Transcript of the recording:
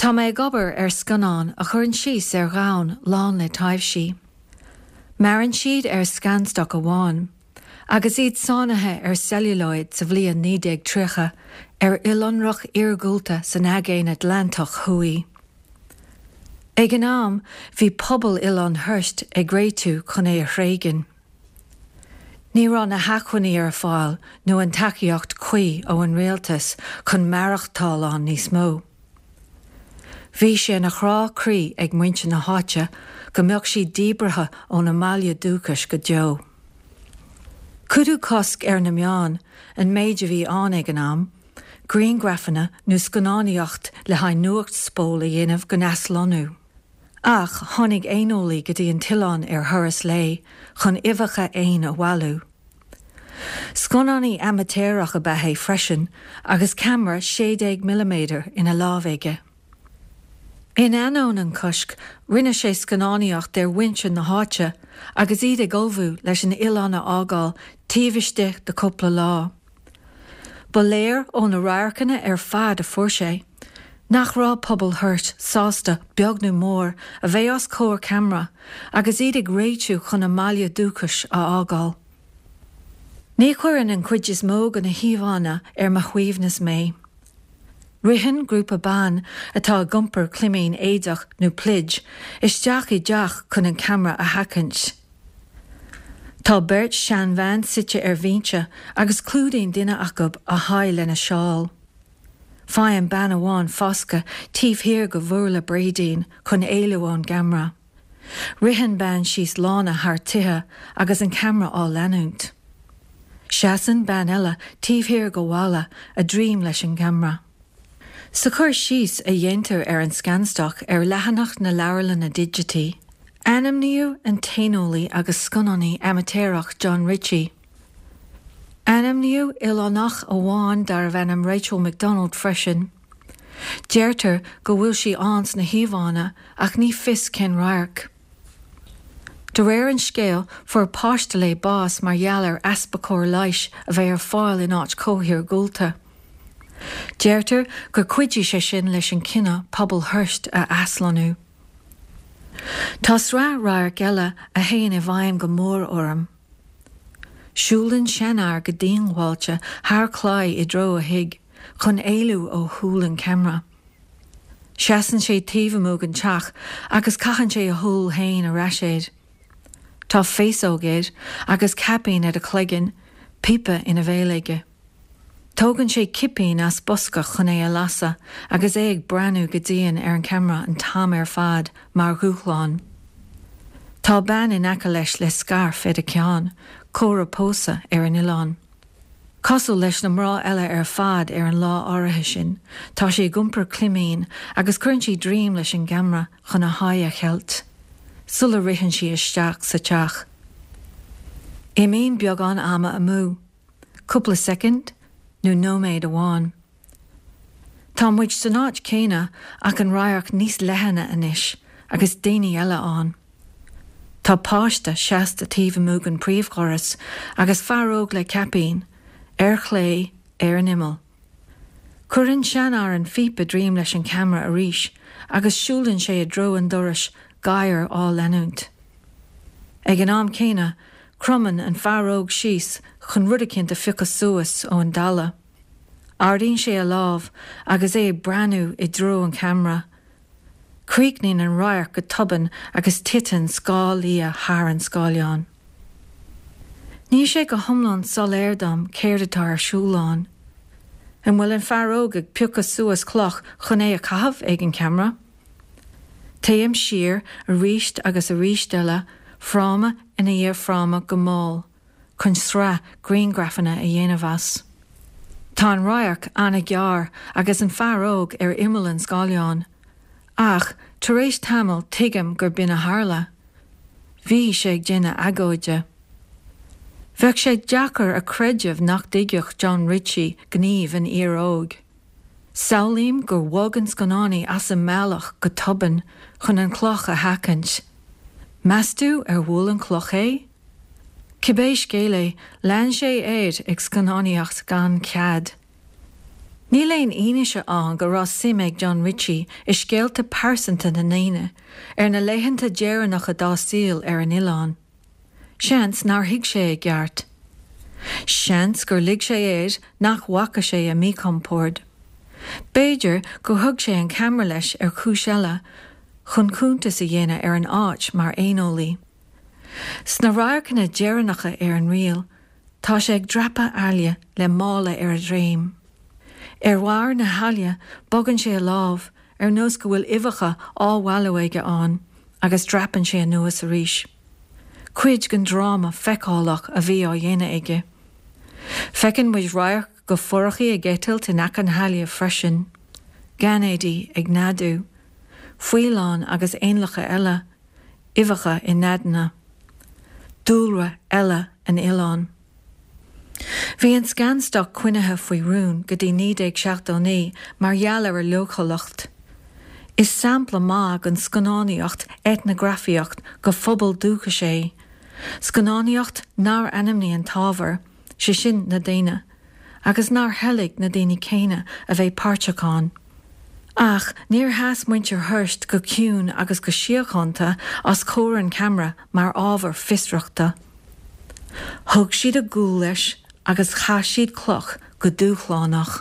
Tá mé ag obair ar scannán a chuireann síos ar dhomhan lán le taibhsí. Maireann siad ar Scanstock amháin, agus iad sáinnithe ar celluloid sa bhliain 1930 ar oileánrach iargúlta san Aigéan Atlantach Thuaidh. Ag an am, bhí pobal Oileán Huirst ag réitiú chun é a thréigean. Ní raibh na hacmhainní ar fáil nó an tacaíocht cuí ó an rialtas chun maireachtáil ann níos mó. Bhí sé ina chrá croí ag muintir na háite go mbeadh siad díbrithe óna mbaile dúchais go deo. Cuireadh cosc ar na meáin, an méid a bhí ann ag an am, grianghrafanna nó scannánaíocht le haghaidh nuacht spól a dhéanamh den aslonnú. Ach tháinig éaneolaí go dtí an t-oileán ar thuras lae chun uibheacha éin a bhailiú. Scannánaí amaitéarach ab ea é freisin agus ceamara 16 milliméadar ina lámh aige. In ainneoin an choisc, rinne sé scannánaíocht ar mhuintir na háite agus iad ag ullmhú leis an oileán a fhágáil taobh istigh de chúpla lá. Ba léir ó na radharcanna ar fad a fuair sé, nach raibh pobal Huirt sásta, beag nó mór, a bheith os comhair ceamara agus iad ag réitiú chun a mbaile dúchais a fhágáil. Ní chuireann an chuid is mó de na híomhánna ar mo shuaimhneas mé. Ritheann grúpa ban atá ag iompar climín éadach nó pluid isteach i dteach chun an ceamara a sheachaint. Tá beirt seanbhean suite ar bhinse agus clúdaíonn duine acu a haghaidh lena seál. Faigheann bean amháin foscadh taobh thiar de bhurla bréidín chun éalú ón gceamara. Ritheann bean síos lána thar tithe agus an ceamara á leanúint. Seasann bean eile taobh thiar de bhalla, a droim leis an gceamara. Sa chur síos a dhéantar ar an Scanstock ar leathanach na Leabharlainne Digití, ainmníodh an t-éaneolaí agus scannánaí amaitéarach John Ritchie. Ainmníodh oileánach amháin darbh ainm Rachel McDonald freisin. Deirtear go bhfuil sí ann sna híomhánna ach ní fios cén radharc. De réir an scéil, fuair páiste léi bás mar gheall ar easpa cóir leighis a bheith ar fáil in áit chomh hiargúlta. Deirtear gur chuidigh sé sin leis an cinneadh pobal Huirst a aslonnú. Tá sraith radharc eile a théann i bhfeidhm go mór orm. Siúlann seanfhear go diongbháilte thar claí i dtreo a thigh chun éalú ó shúil an cheamara. Seasann sé taobh amuigh den teach agus caitheann sé a shúil féin ar ais air. Tá féasóg air agus caipín ar a chloigeann, píopa ina bhéal aige. Tógann sé cipín as bosca chun é a lasadh agus é ag breathnú go dian ar an cheamara an t-am ar fad mar dhúshlán. Tá bean in aice leis le scairf ar a ceann, comhartha pósadh ar an oileán. Cosúil leis na mná eile ar fad ar an lá áirithe sin, tá sí ag iompar climín agus cuireann sí droim leis an gceamara chun a haghaidh a cheilt, sula ritheann sí isteach sa teach. Imíonn beagán ama amú, cúpla soicind nó nóiméad amháin. Tá muid san áit chéanna ach an radharc níos leithne anois agus daoine eile ann. Tá páiste seasta taobh amuigh den príomhdhoras agus fear óg le caipín, ar chlé, ar an imeall. Cuireann seanfhear an phíopa droim leis an cheamara arís agus siúlann sé i dtreo an dorais, gadhar á leanúint. Ag an am céanna, cromann an fear óg síos chun rud eicínt a phiocadh suas ón dtalamh. Ardaíonn sé a lámh agus é ag breathnú i dtreo an cheamara. Críochnaíonn an radharc go tobann agus titeann scáth liath thar an scáileán. Níl sé go hiomlán soiléir dom céard atá ar siúl ann. An bhfuil an fear óg ag piocadh suas cloch chun é a chaitheamh ag an cheamara? Téim siar arís agus arís eile, fráma ina dhiaidh fráma go mall. chun sraith grianghrafanna a dhéanamh as. Tá an radharc an-ghearr agus an fear óg ar imeall an scáileáin, ach tar éis tamaill tuigim gur b'in a tharla. Bhí sé ag déanamh agóide. Bheadh sé deacair a chreideamh nach dtuigfeadh John Ritchie gníomh an fhir óig. Samhlaím gur bhog an scannánaí as an mbealach go tobann chun an chloch a sheachaint. Meas tú ar bhuail an chloch é? Cibé scéal é, lean sé air ag scannánaíocht gan cead. Níl aon fhianaise ann go raibh suim ag John Ritchie i scéalta pearsanta na ndaoine ar na laethanta deireanacha dá saol ar an oileán. Seans nár thuig sé i gceart. Seans gur lig sé air nach bhfaca sé a míchompord. B'fhéidir gur thug sé an ceamara leis ar chúis eile, chun cuntas a dhéanamh ar an áit mar éaneolaí. Sna radharcanna deireanacha ar an ríl, Tá sé ag dreapadh aille le mála ar a dhroim. Ar bharr na haille bogann sé a lámh ar nós go bhfuil uibheacha á bhailiú aige ann agus dreapann sé anuas arís. Cuid den dráma feiceálach a bhí á dhéanamh aige. Feiceann muid radharc go forachaí ag eitilt in aice na haille freisin. Gainéidí ag neadú. Faoileáin agus éanlacha eile. Uibheacha i neadanna. Dúlra eile an oileáin. Bhí an scanstoc coinnithe faoi rún go dtí 1979 mar gheall ar a leochaileacht. Is sampla maith den scannánaíocht eitneagrafaíocht go phobal dúchais é, scannánaíocht nár ainmnigh an t-ábhar, sé sin na daoine, agus nár thoiligh na daoine céanna a bheith páirteach ann. Ach níor sheas muintir Hearst go ciúin agus go síochánta os comhair an cheamara mar ábhar fiosrachta. Thug siad a gcúl leis agus chaith siad cloch go dúshlánach.